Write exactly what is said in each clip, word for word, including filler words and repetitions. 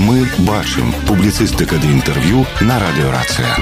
Мы бачым. Публіцыстыка ды інтэрв'ю на радыёрацыя.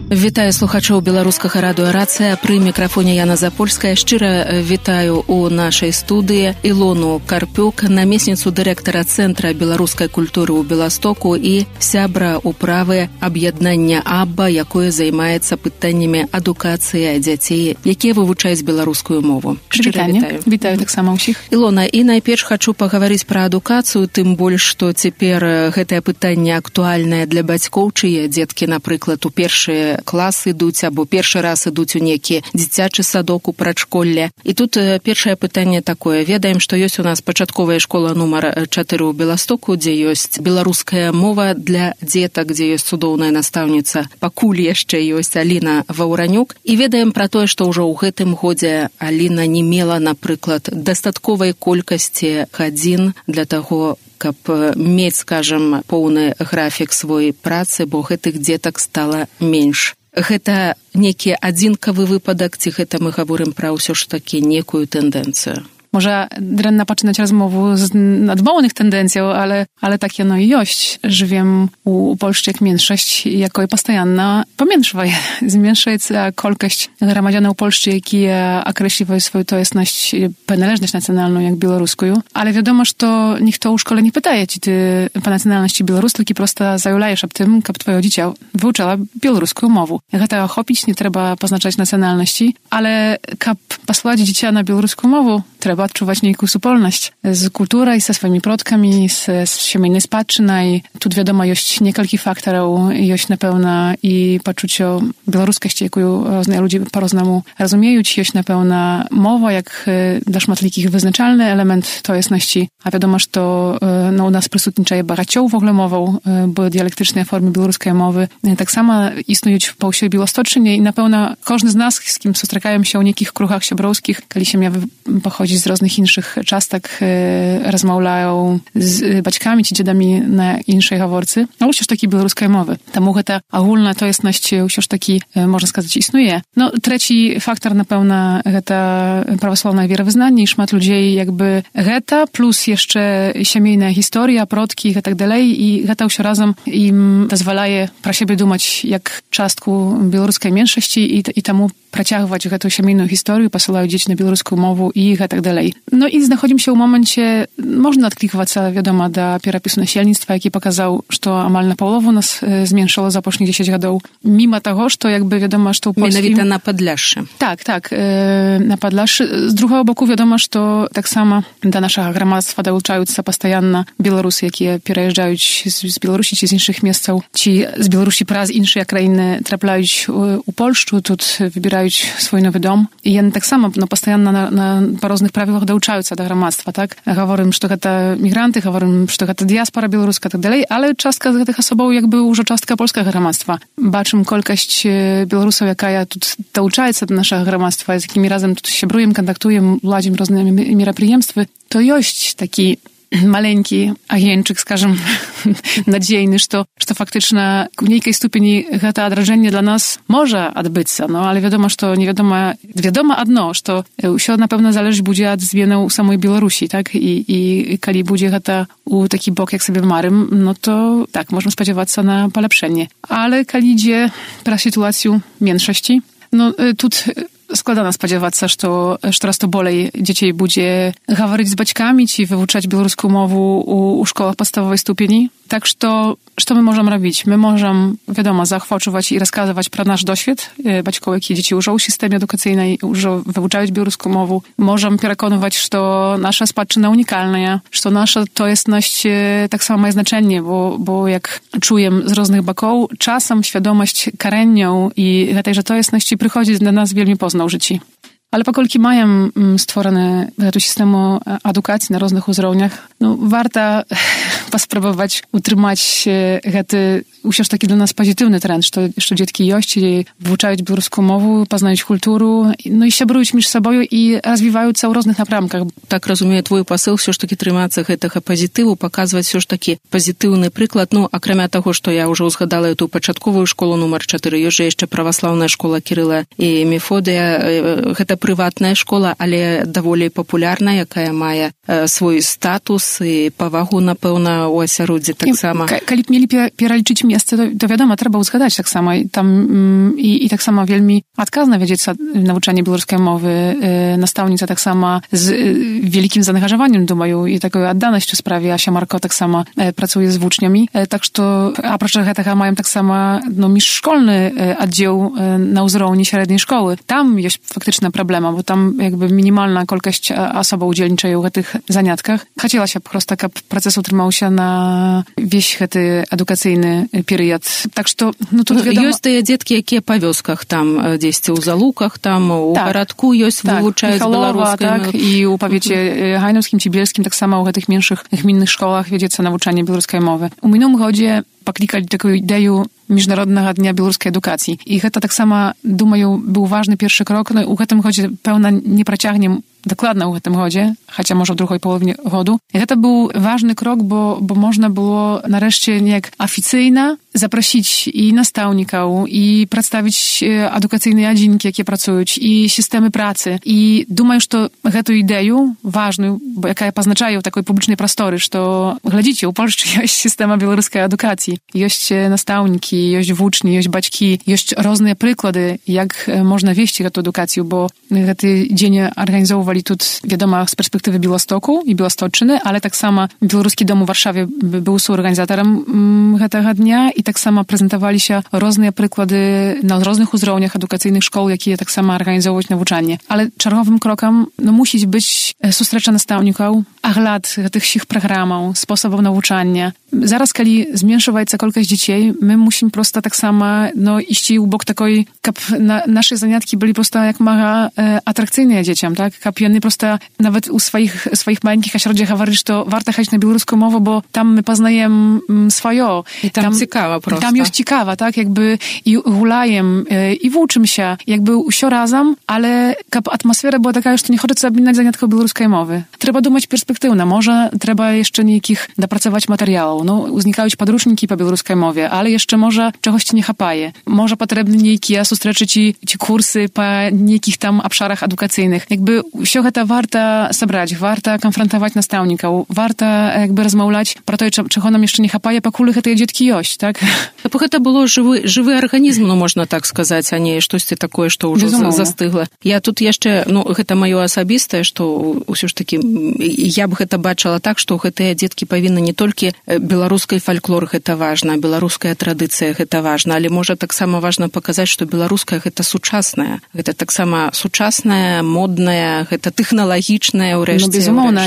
Вітаю слухачоў беларускага радыё «Рацыя». Пры мікрафоне Яна Запольская. Шчыра вітаю у нашай студыі Ілону Карпюк, намесніцу дырэктара Цэнтра беларускай культуры ў Беластоку і сябра ўправы аб'яднання АББА, якое займаецца пытаннямі адукацыі дзяцей, якія вывучаюць беларускую мову. Шчыра вітаю. Вітаю таксама ўсіх. Ілона, і найперш хачу пагаварыць пра адукацыю, тым больш, што цяпер гэтае пытанне актуальнае для бацькоў, чые дзеткі, напрыклад, у першыя класы ідуць або першы раз ідуць у некі дзіцячы садок у прачколле. І тут першае пытанне такое. Ведаем, што ёсць у нас пачатковая школа нумар чатыры ў Беластоку, дзе ёсць беларуская мова для дзетак, дзе ёсць цудоўная настаўніца. Пакуль яшчэ ёсць Аліна Ваўранюк. І ведаем пра тое, што ўжо ў гэтым годзе Аліна не мела, напрыклад, дастатковай колькасці гадзін для таго, каб мець, скажам, поўны графік свой працы, бо гэтых дзетак стала менш. Гэта некі адзінкавы выпадак, ці гэта мы гаворым пра ўсё ж такі некую тэндэнцыю? Może dręna poczynać rozmowę z nadmownych tendencją, ale, ale takie no i jość. Żywiem u, u Polszczy jak mniejszość, jako i postajanna pomiększwa je. Zmniejsza kolkość gramadziana u Polszczy, jaki określiwa swoją to jasność, penależność nacjonalną, jak białoruską. Ale wiadomo, że to nikt to u szkole nie pytaje ci ty po nacjonalności białorusku, tylko prosto zajulajesz ob tym, kab twoje dziecię wyuczała białoruską mowę. Jak to chopić, nie trzeba poznaczać nacjonalności, ale kab posłać dziecię na białoruską mowę, trzeba odczuwać niejaką supolność z kulturą i ze swoimi przodkami, z, z siemiennej spadczynej. Tu wiadomo, jest niekalki faktorów, jest na pewno i poczucie białoruskości, jaką różne ludzie po roznemu rozumieją, jest na pewno mowa, jak dla szmatlikich wyznaczalny element to jasności. A wiadomo, że to no, u nas przysutniczaje baracioł w ogóle mową, bo dialektyczne formy białoruskiej mowy tak samo istnieją w Polsce Białostoczynie i na pewno każdy z nas, z kim spotykają się u niekich kruchach siebrowskich, kiedy się miał pochodzić z różnych innych czastak, e, rozmawiają z baćkami czy dziadami na innej haworcy. No już takiej białoruskiej mowy. Ta mucha ta ogólna to jasność już taki, e, można сказать, istnieje. No trzeci faktor na pewno ta prawosławna wierowyznanie i szmat ludzi jakby geta plus jeszcze siemiejna historia, przodki i tak dalej i geta już razem im pozwalaje pra siebie dumać jak czastku białoruskiej mniejszości i, i temu працягваць гэтую сямейную гісторыю, пасылаюць дзеці на беларускую мову і гэтак далей. Ну і знаходзімся ў моманце, можна адкліквацца, вядома, да перапісу насельніцтва, які паказаў, што амаль на палову нас зменшыла за апошніх дзесяць гадоў. Міма таго, што якby вядома, што ў Польскі... Менавіта на Падляшшы. Так, так, э, на Падляшшы. З другого боку, вядома, што таксама да нашага грамадства далучаюцца пастаянна беларусы, якія пераязджаюць з, з Беларусі ці з іншых месцаў, ці з Беларусі праз іншыя краіны трапляюць у, у Польшчу, тут выбіраюць свой новый дом. І яны таксама no, пастаянна на, на, па розных правілах далучаюцца да грамадства, так? Гаворым, што гэта мігранты, гаворым, што гэта дыяспора беларуска, так далей, але частка з гэтых асобаў якby ўжо частка польскага грамадства. Бачым колькасць беларусаў, якая тут далучаецца да нашага грамадства, з якімі разам тут сябруем, кантактуем, ладзім розныя мерапрыемствы, то ёсць такі маленькі агенчык, скажем, надзейны, што, што фактычна у нейкай ступені гэта адражэнне для нас можа адбыцца, no, ale wiadomo, што невядома, вядома адно, што ўсё, напэўна, залежыць будзе ад зменаў у самой Беларусі, так? І, і калі будзе гэта у такі бок, як сабе марым, no to tak, можна спадзявацца на паляпшэнне. Ale калі ідзе пра сітуацыю меншасці, no тут składana spodziewać się, że coraz to bolej dzieci będzie говорить z baćkami, czy wyuczać białoruską mowę u, u szkołach podstawowej stupieni. Tak, że co my możemy robić? My możemy, wiadomo, zachwaczować i rozkazywać pro nasz doświad. Baćkowie, jakie dzieci użą w systemie edukacyjnej, użą wyuczać białoruską mowę. Możemy przekonywać, że nasza spadczyna unikalna, że nasza to jestność tak samo ma znaczenie, bo, bo jak czuję z różnych boków, czasem świadomość karennią i tej, że to jestności przychodzi do nas wielmi poznać życi. Ale pokolki mają stworzone tu systemu edukacji na różnych uzrowniach, no warto spróbować utrzymać ten już taki dla nas pozytywny trend, że, że dzieci jości wyuczają białoruską mowę, poznają kulturę, no i siebrują między sobą i rozwijają się w różnych напрамках. Tak rozumiem twój poseł, все ж таки trzymać tego pozytywu, pokazywać все ж таки pozytywny przykład, no a крім того, że ja już uzgadala tę początkową szkołę numer cztery, jest jeszcze prawosławna szkoła Kiryla i Mefodija, to prywatna szkoła, ale доволі popularna, jaka ma swój status i powagу, na pewno на у асяроддзі таксама. Калі б мелі пералічыць месцы, то, то вядома, трэба ўзгадаць таксама. Там і, і таксама вельмі адказна вядзецца навучанне беларускай мовы. Настаўніца таксама з вялікім заангажаваннем, думаю, і такой адданасцю справе. Ася Марко таксама працуе з вучнямі. Так што, апроч гэтага, маем таксама ну, міжшкольны аддзел на ўзроўні сярэдняй школы. Там ёсць фактычна праблема, бо там якби мінімальная колькасць асобаў удзельнічае ў гэтых занятках. Хацелася б проста, каб працэс утрымаўся на весь гэты адукацыйны перыяд. Так што, ну, тут, вядома... Ёсць тыя дзеткі, якія па вёсках там, дзесьці ў Залуках, там, у так, гарадку ёсць, так, вывучаюць беларускай. Так, і ў павеце гайнаўскім ці бельскім таксама ў гэтых меншых гмінных школах вядзецца навучанне беларускай мовы. У мінулым годзе паклікалі такую ідэю міжнароднага дня беларускай адукацыі. І гэта таксама, думаю, быў важны першы крок. Ну, у гэтым годзе, пэўна, не працягнем дакладна ў гэтым годзе, хаця, можа, ў другой палове году. І гэта быў важны крок, бо, бо можна было нарэшце неяк афіцыйна запрасіць і настаўнікаў, і прадставіць адукацыйныя адзінкі, якія працуюць, і сістэмы працы. І думаю, што гэту ідэю важную, якая пазначае ў такой публічнай прасторы, што, глядзіце, у Польшчы ёсць сістэма беларускай адукацыі, ёсць настаўнікі, ёсць вучні, ёсць бацькі, ёсць розныя прыклады, як можна весці гэту адукацыю, бо гэты дзень арганізоўвалі тут, вядома, з перспектывы Беластоку і Беласточчыны, але таксама Беларускі дом у Варшаве быў суорганізатарам гэтага дня, і таксама прэзентаваліся розныя прыклады на розных узроўнях адукацыйных школ, якія таксама арганізоўваюць навучанне. Але чарговым крокам ну, мусіць быць сустрэча настаўнікаў, агляд гэтых сіх праграмаў, спосабаў навучання. Зараз, калі зменшваецца колькасць дзяцей, my musimy prosto tak samo no, iść u bok takiej, kap na, nasze zaniatki byli prosto jak mega e, atrakcyjne dzieciom, tak? Kap one prosto nawet u swoich, swoich maleńkich ośrodkach говорили, że warto jechać na białoruską mowę, bo tam my poznajemy swoje. I tam, tam ciekawa prosto. Tam jest ciekawa, tak? Jakby i gulajem, e, i włóczym się, jakby usio razem, ale kap atmosfera była taka, że nie chodzi sobie na zaniatkę białoruskiej mowy. Trzeba думać perspektywnie, może trzeba jeszcze niekich dopracować materiałów. No, uznikają podrучники po białoruskiej mowie, ale jeszcze może czegoś ci nie chapaje. Może potrzebne niekie sustreczy ci, ci kursy po niekich tam obszarach edukacyjnych. Jakby wszystko to warto zebrać, warto konfrontować nastawników, warto jakby rozmawiać pro to, czego nam jeszcze nie chapaje, покуль te dzieci jość, tak? Bo to było żywy, żywy organizm, no można tak сказать, a nie coś takie, что уже zastygło. Ja тут jeszcze, no, to moje osobiste, что все ж таки я бы это бачила так, что гэтыя дзеткі павінны не толькі беларускай фальклор гэта важна, беларуская традыцыя гэта важна, але можа таксама важна паказаць, што беларуская гэта сучасная, гэта таксама сучасная, модная, гэта тэхналагічная ўрэшце. Ну, безумоўна,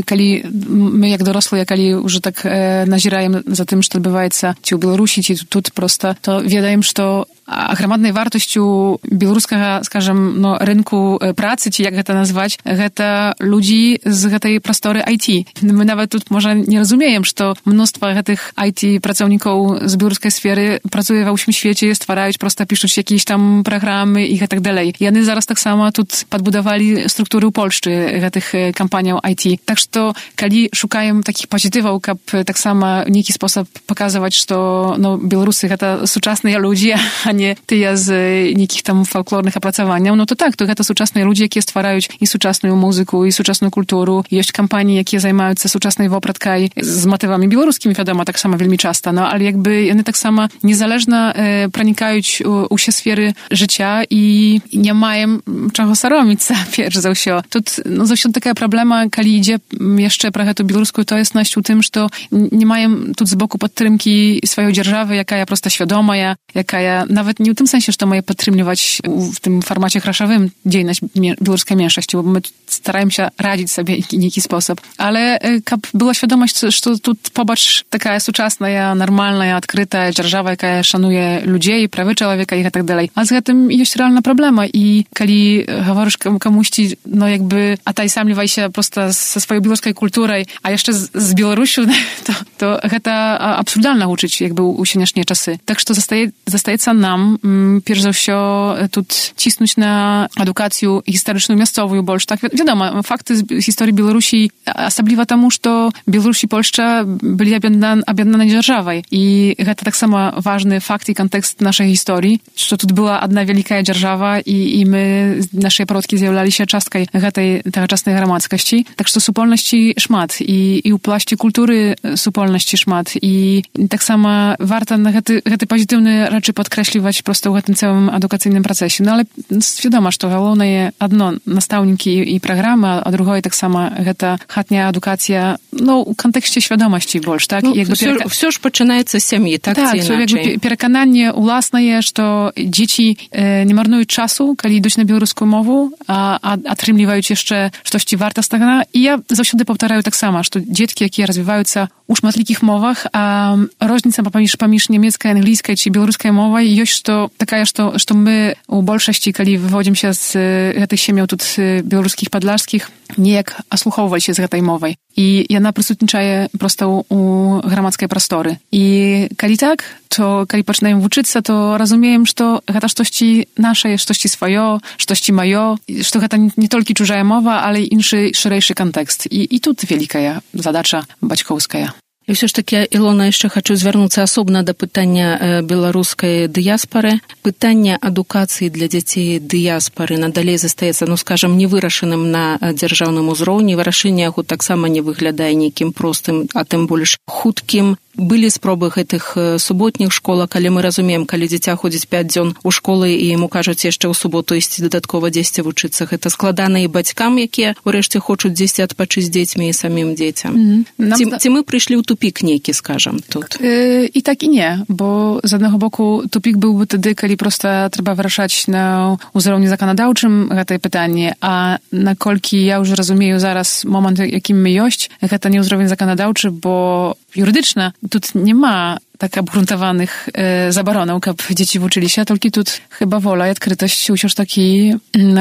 калі мы як дорослыя, калі уже так э, назіраем за тым, што адбываецца ці ў Беларусі, ці тут проста, то ведаем, што аграмаднай вартасцю беларускага, скажем, ну, рынку працы, ці як гэта назваць, гэта людзі з гэтай прасторы ай ти. Мы нават тут, можа, не разумеем, што мноства гэтых ай ти-працаўнікоў з беларускай сферы працуе ва ўсім свеце, ствараюць, проста пішуць якісь там праграмы і гэтак далей. Яны зараз таксама тут падбудавалі структуры ў Польшчы гэтых кампаніяў ай ти. Так што, калі шукаем такіх пазітываў, каб таксама нейкі спосаб паказваць, што ну, беларусы гэта сучасныя людзі, а nie tyle z niekich tam folklornych opracowania, no to tak, to гэта сучасныя людзі, якія ствараюць і сучасную музыку, і сучасную культуру. Ёсць кампаніі, якія займаюцца сучаснай вопраткай з матывамі беларускімі, вядома, так само вельмі часта, no, ale jakby яны таксама незалежна e, пранікаюць у ўсе сферы жыцця і не маем чаго сароміцца, перш за ўсё. Тут no, заўсёды такая праблема, калі ідзе яшчэ пра гэту беларускую тоеснасць у тым, што не маем тут з боку падтрымкі сваёй дзяржавы, якая проста свядомая, якая nawet nie w tym sensie, że to mają podtrzymywać w tym formacie kraszowym dziejność białoruskiej mniejszości, bo my staramy się radzić sobie w jakiś sposób. Ale kab była świadomość, że tu pobacz taka suczasna, normalna, odkryta dzierżawa, jaka szanuje ludzi, prawy człowieka i tak dalej. A z tym jest realna problema i kiedy mówisz komuś, no jakby, a taj sam liwaj się prosto ze swojej białoruskiej kultury, a jeszcze z, z Białorusiu, to, to to absurdalna uczyć, jakby u sieniasznie czasy. Tak, że zostaje, zostaje nam pierwsze za wszystko tu cisnąć na edukację historyczną miastową, bo tak wiadomo, fakty z historii Białorusi, особливо тому, że Białoruś i Polska byli ab'яднанай дзяржавай. І гэта таксама важны факт і кантэкст нашай гісторыі, што тут была адна вялікая дзяржава, і, і мы, нашыя продкі з'яўляліся часткай гэтай тагачаснай грамадскасці. Так што супольнасці шмат, і, і ў плашці культуры супольнасці шмат. І таксама варта на гэты, гэты пазітыўныя рэчы падкрэсліваць проста ў гэтым цэлым адукацыйным працэсе. Ну, але свядома, што галоўнае адно настаўнікі і праграмы, а другое таксама гэта хатняя адукацыя, ну, у кантэксце свядомасці больш, так? Ну, якby все, перека... все ж пачынаецца з сям'і, так, так, ці іначай? Так, перакананне ўласнае, што дзеці э, не марнуюць часу, калі ідуць на беларускую мову, а, а атрымліваюць яшчэ штосьці вартаснага. І я заўсёды паўтараю таксама, што дзеткі, якія развіваюцца у шматлікіх мовах, а розніца паміж, паміж нямецкай, англійскай ці беларускай мовай ёсць, што такая, што, што мы у большасці, калі выводзімся з гэтых сем'яў тут беларускіх падлажскіх, неяк аслухоўваліся з гэтай мовай. І яна прысутнічае проста ў, у грамадскай прасторы. І калі так, то калі пачынаем вучыцца, то разумеем, што гэта штосьці нашае, штосьці сваё, штосьці маё, што гэта не толькі чужая мова, але і іншы шырэйшы кантэкст. І, і тут вялікая задача бацькоўская. І ўсё ж такі, Ілона, яшчэ хачу звярнуцца асобна да пытання беларускай дыяспары. Пытанне адукацыі для дзяцей дыяспары надалей застаецца, ну, скажам, невырашаным на дзяржаўным узроўні. Вырашэнне яго таксама не выглядае нейкім простым, а тым больш хуткім. Былі спробы гэтых суботніх школак, але мы разумеем, калі дзіця ходзіць пяць дзён у школы і яму кажуць яшчэ ў суботу ісці дадаткова дзесьці вучыцца. Гэта складана і бацькам, якія урэшце хочуць дзесьці адпачыць з дзецьмі і самім дзецям. Mm-hmm. Ці, ці мы прыйшлі ў тупік нейкі, скажам, тут? Yy, I tak i nie, bo z jednego boku tupik byłby wtedy, kiedy prosto trzeba wyraszać na uzrołnie zakonodawczym te pytanie, a na kolki ja już rozumieję zaraz moment, jakim my jość, to nie uzrołnie zakonodawczy, bo jurydyczne, tu nie ma tak obgruntowanych e, zabaronów, kab dzieci uczyli się, tylko tu chyba wola i odkrytość usiąż taki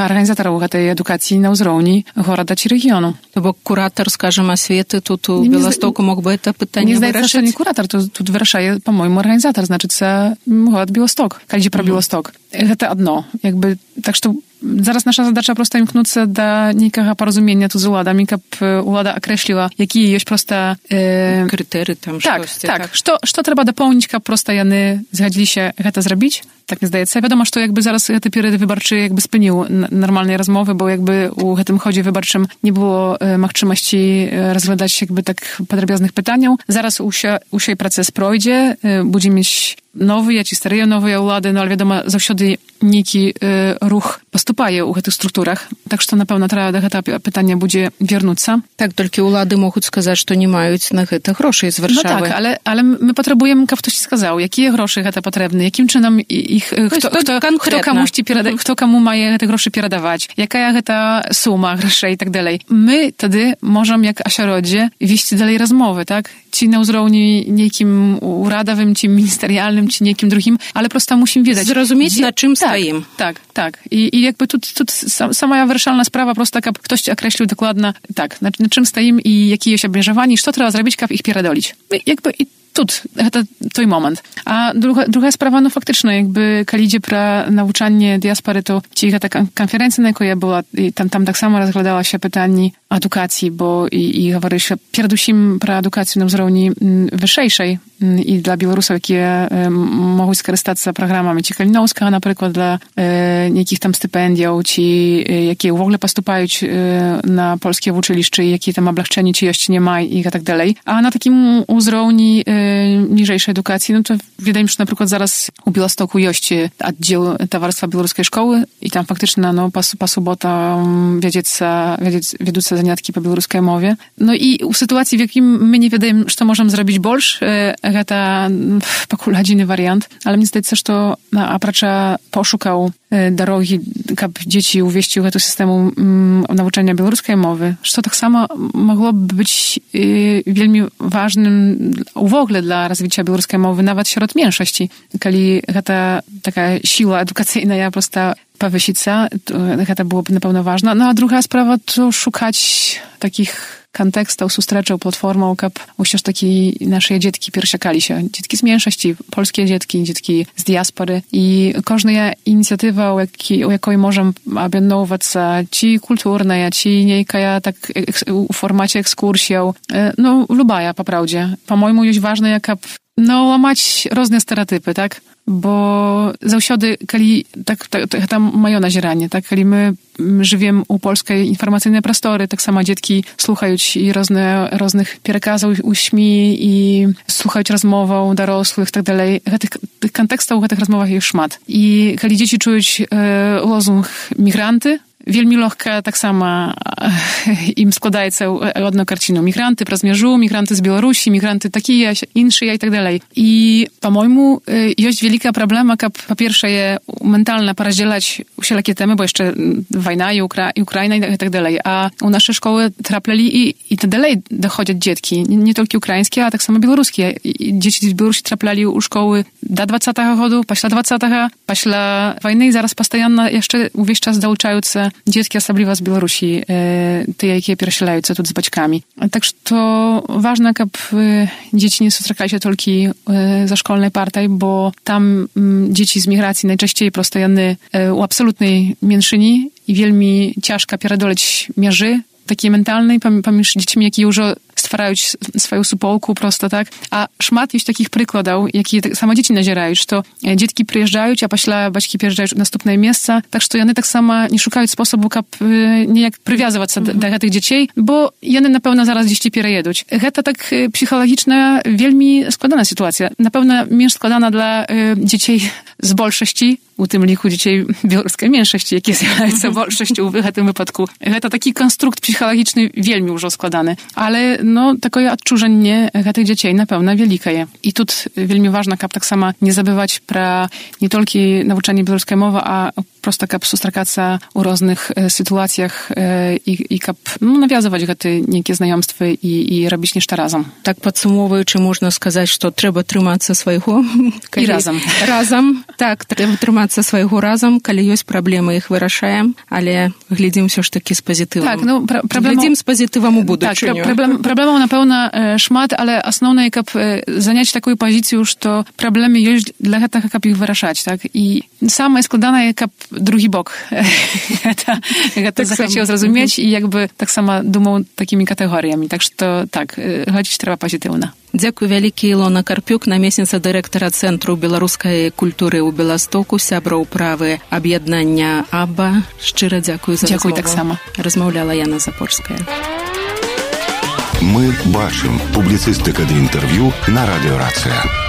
organizatorów tej edukacji na uzrołni goroda czy regionu. To bo kurator, skażem, oświety, tu, tu w Białymstoku mógłby to pytanie nie wyraszyć? Nie zdaje się, nie kurator, tu, tu wyraszaje, po-mojemu, organizator, znaczy, co gorod Białystok, kiedy pro Białystok. To одно, jakby, tak, że zaraz nasza zadacza prosta imknąca do niekego porozumienia tu z uladami, kab ulada określiła, jakie jest prosta... E, krytery tam, tak, sztoście, tak, tak. Što, što trzeba dopełnić, kab prosta jany zgodzili się to zrobić? Tak mi zdaje się. Wiadomo, że to jakby zaraz te periody wyborcze jakby spełnił normalnej rozmowy, bo jakby u tym chodzie wyborczym nie było e, możliwości rozglądać jakby tak podrobiaznych pytań. Zaraz u się proces projdzie, e, będzie mieć nowy, ja ci stareje nowe ulady, no ale wiadomo, zawsze neki e, ruch postępuje u tych strukturach, tak że to na pewno trzeba do tego pytania będzie wiernuć. Tak, tylko ulady mogą сказать, że nie mają na to groszy z Warszawy. No tak, ale, ale my potrzebujemy, jak ktoś сказał, jakie groszy to potrzebne, jakim czynom ich, kto, kto, kto komuś ci pierada, kto komu ma te groszy pieradawać, jaka ta suma groszy i tak dalej. My wtedy możemy, jak asiarodzie, wieść dalej rozmowy, tak? Ci na uzrołni niekim uradowym, ci ministerialnym, czy niekim drugim, ale prosto musimy wiedzieć. Zrozumieć, gdzie, na czym tak, stoimy. Tak, tak. I, i jakby tu, tu sama wyraszalna sprawa prosta, jak ktoś określił dokładnie, tak, na, na czym stoimy i jakie jest obmierzowani, co trzeba zrobić, jak ich pierdolić. Jakby i тут, to той момент. А друга, друга справа, ну, фактично, якби, коли йде про навчання діаспори, то ті та конференція, на якій я була, і там, там так само розглядалося питання адукації, бо і, і говориш передусім про адукацію на узровні вищейшej і для білорусів, які е, можуть скористатися програмами чи Каліновського, наприклад, для е, яких там стипендій, чи е, які в ogóle поступають е, на польське училище, які там облегчені чи jeszcze nie ma i tak dalej. A na takim uzrowni e, niżejszej edukacji, no to wydaje mi się, że na przykład zaraz u Białegostoku jest oddział Towarzystwa Białoruskiej Szkoły i tam faktycznie no, po, po sobota wiedzieć zaniatki po białoruskiej mowie. No i w sytuacji, w jakim my nie wiemy, że to możemy zrobić больше, e, to pokuladziny wariant, ale mnie zdaje się, że to na apracza poszukał drogi, kab dzieci uwieścił do systemu um, nauczania białoruskiej mowy, że to tak samo mogłoby być y, wielmi ważnym w ogóle dla rozwoju białoruskiej mowy, nawet wśród mniejszości. Kiedy ta taka siła edukacyjna ja prosto powysić, to to byłoby na pewno ważne. No a druga sprawa to szukać takich kontekstów sustрэčаў platformą, kab ўсё ж такі nasze dzietki piersiakali się. Dzietki z mniejszości, polskie dzietki, dzietki z diaspory i każda inicjatywa, u, jaki, u jakiej możemy objednować ci kulturne, ci niejka tak w formacie ekskursją, no lubaja po prawdzie. Po mojemu jest ważne, jak no łamać różne stereotypy, tak? Bo zawsiady, kiedy tak, tak, tak tam mają nazieranie, tak? Kiedy my żywiem u polskiej informacyjnej prostory, tak samo dzieci słuchają i różne, różnych przekazów u śmi i słuchają rozmową dorosłych, tak dalej. Tych, tych kontekstów w tych rozmowach jest szmat. I kiedy dzieci czują e, lozung migranty, Wielmi легко tak samo im składaється одну картину. Мігранти про межу, мігранти з Білорусі, мігранти такі, інші і так далі. І, по-моєму, є велика проблема, як, по-перше, ментально порозdzielać всілякі теми, бо ще війна і, Укра... і Україна і так далі. А у наші школи трапляли і, і так далі доходять дітки. Не, не тільки українські, а так само білоруські. Діти з Білорусі трапляли у школи до двадцятого року, після двадцятого, після війни, і зараз постійно ще увесь час долучаються dzieci, особливо z Białorusi, te, jakie переселяją się tu z baćkami. Tak, że to ważne, aby dzieci nie spotykali się tylko za szkolnej partii, bo tam dzieci z migracji najczęściej postojanny u absolutnej mniejszyni i wielmi ciężko pierdoleć mierzy takiej mentalnej, pomiędzy dziećmi, jakie już stwarają swoją supołku prosto, tak? A szmat jest takich przykładów, jakie same dzieci nazierają, że to dzieci przyjeżdżają, a pośle baćki przyjeżdżają w następne miejsce, tak że one tak samo nie szukają sposobu, jak niejak przywiązywać się mm-hmm. do, do tych dzieci, bo one na pewno zaraz gdzieś przyjedą. To tak psychologiczna, wielmi składana sytuacja. Na pewno mniej składana dla y, dzieci z bolszości, u tym liku dzieci białoruskiej mniejszości, jakie zjawiają bolszością w tym wypadku. To taki konstrukt psychologiczny wielmi już składany, ale no, takie odczużenie tych dzieci na pewno wielkie jest. I tu wielmi ważne, aby tak samo nie zabywać pra nie tylko nauczanie białoruskiej mowy, a prosto jak sustrakаться u różnych e, sytuacjach e, i, i jak no, nawiązywać te niekie znajomstwa i, i robić niż razem. Tak podsumowując, można сказать, że trzeba trzymać się swojego i razem. Razem, tak, trzeba trzymać się swojego razem, kiedy jest problemy, ich wyraszają, ale глядим все ж таки z pozytywem. Tak, no, pra- problem... Глядим z pozytywem u budущего. Tak, problem, problemów na pewno e, szmat, ale основне, jak e, zająć taką pozycję już, to problemy jest dla tego, jak ich wyraszać, tak? I same składane, jak drugi bok. Jak to захотел zrozumieć i jakby tak samo думał takimi kategoriami. Tak, że to tak, chodzić trzeba pozytywnie. Дзякуй вялікі Ілона Карпюк, намесніца дырэктара Цэнтру беларускай культуры ў Беластоку, сябра ўправы аб'яднання АББА. Шчыра дзякуй за дзякуй размову. Таксама. Размаўляла Яна Запорская. Мы бачым. Публіцыстыка ды інтэрв'ю на радыё Рацыя.